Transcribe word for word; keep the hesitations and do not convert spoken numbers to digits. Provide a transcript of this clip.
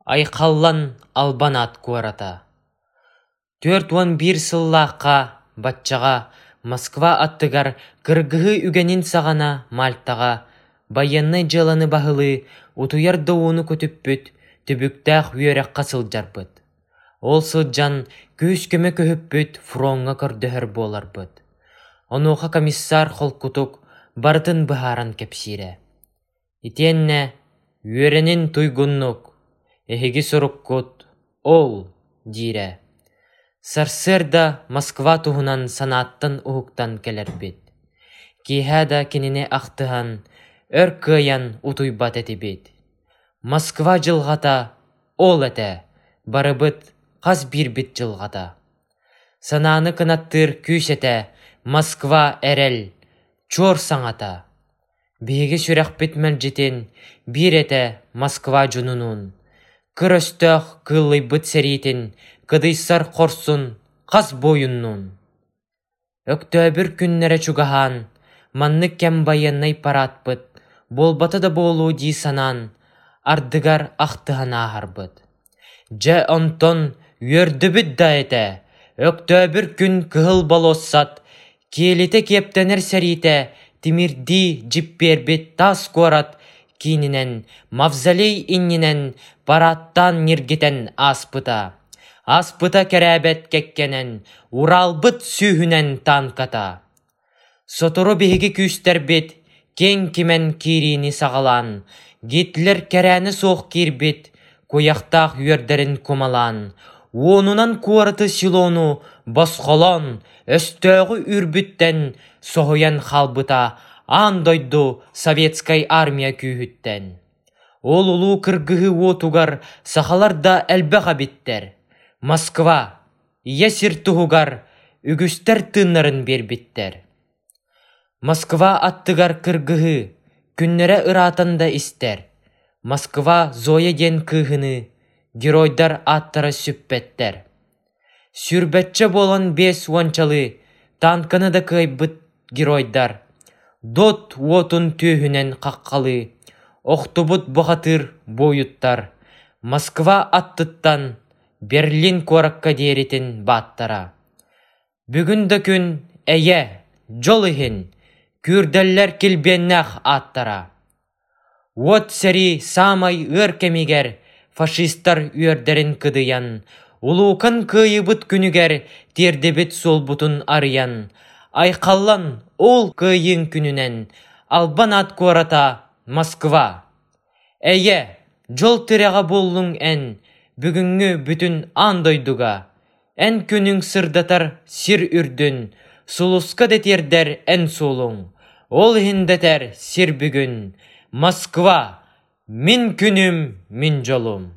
Айхаллан албан аат куората. Түөрт уон биир сыллаахха баччаҕа Москва аттыгар кыргыһыы үгэнин саҕана Мальтаҕа байыаннай дьыаланы баһылыы, утуйар да ууну көтүппүт, түбүктээх үөрэххэ сылдьарбыт. Ол сылдьан күүс-көмө көһүппүт фроҥҥа көрдөһөр буоларбыт. Онуоха комиссар холкутук барытын быһааран кэпсиирэ. Итиэннэ үөрэнин туйгуннук, эһиги соруккут ол диирэ. Сарсыарда Москва туһунан санааттан уһуктан кэлэрбит. Киэһэ да кинини ахтыһан, өр кыайан утуйбат этибит. Москва дьылҕата ол этэ, барыбыт хас биирбит дьылҕата. Санааны кынаттыыр күүс этэ Москва эрэл, чуор саҥата. Биһиги сүрэхпит мэлдьитин биир этэ Москва дьонунуун, кыр өстөөх кыыллыйбыт сэриитин кыдыйсар хорсун хас буойуннуун. Өктөөбүр күннэрэ чугаһаан, маннык кэм байыаннай параадпыт буолбата да буолуо дии санаан, ардыгар ахтыһан ааһарбыт. Дьэ онтон үөрдүбүт да этэ, Өктөөбүр күн Кыһыл болуоссат киэлитэ киэптэнэр сэриитэ тимирдии дьиппиэрбит таас куорат киининэн, мавзолей иннинэн параадтаан ньиргитэн ааспыта. Ааспыта кэрээбэт кэккэнэн, Уралбыт сүүһүнэн танката. Сотору биһиги күүстэрбит киэҥ кимэн киириини саҕалаан, Гитлер кэрээнэ суох киирбит, куйахтаах үөрдэрин кумалаан, уонунан куораты селону босхолоон, өстөөҕү үүрбүттэн соһуйан хаалбыта аан дойду советскай армия күүһүттэн. Ол улуу кыргыһыы уотугар сахалар да элбэх эбиттэр. Москва, ийэ сир туһугар үгүстэр тыыннарын биэрбиттэр. Москва аттыгар кыргыһыы, күннэрэ ыраатан да истэр. Москва Зоя диэн кыыһыныы, геройдар ааттара сүппэттэр. Сүүрбэччэ буолан биэс уончалыы танканы да кыайбыт геройдар, дот уотун түөһүнэн хаххалыы, охтубут бухатыыр буойуттар, Москва аттыттан Берлин куоракка диэритин бааттара. Бүгүн да күн эйэ, дьол иһин, күүрдэллэр килбиэннээх ааттара. Уот сэрии саамай ыар кэмигэр фашистар үөрдэрин кыдыйан, улуукан кыайыыбыт күнүгэр тиэрдибит суолбутун арыйан, айхаллан ол кыайыыҥ күнүнэн албан аат куората Москва. Эйэ, дьол тирэҕэ буоллуҥ эн, бүгүҥҥү бүтүн аан дойдуга. Эн күнүҥ сырдатар сир үрдүн, сулуска да тиэрдэр эн суолуҥ. Ол иһин дэтэр сир бүгүн, Москва, мин күнүм, мин дьолум.